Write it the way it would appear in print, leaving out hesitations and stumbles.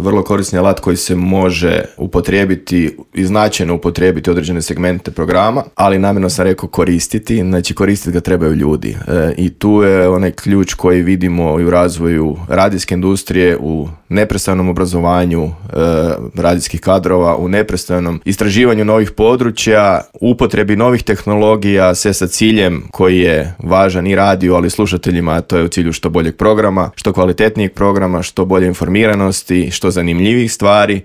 vrlo korisni alat koji se može upotrijebiti i značajno upotrijebiti određene segmente programa, ali namjerno sam rekao koristiti, znači koristiti ga trebaju ljudi. I tu je onaj ključ koji vidimo i u razvoju radijske industrije, u neprestanom obrazovanju radijskih kadrova, u neprestanom istraživanju novih područja, upotrebi novih tehnologija, sve sa ciljem koji je važan i radiju, ali slušateljima, a to je u cilju što boljeg programa, što kvalitetnijeg programa, što bolje informiranosti, što zanimljivih stvari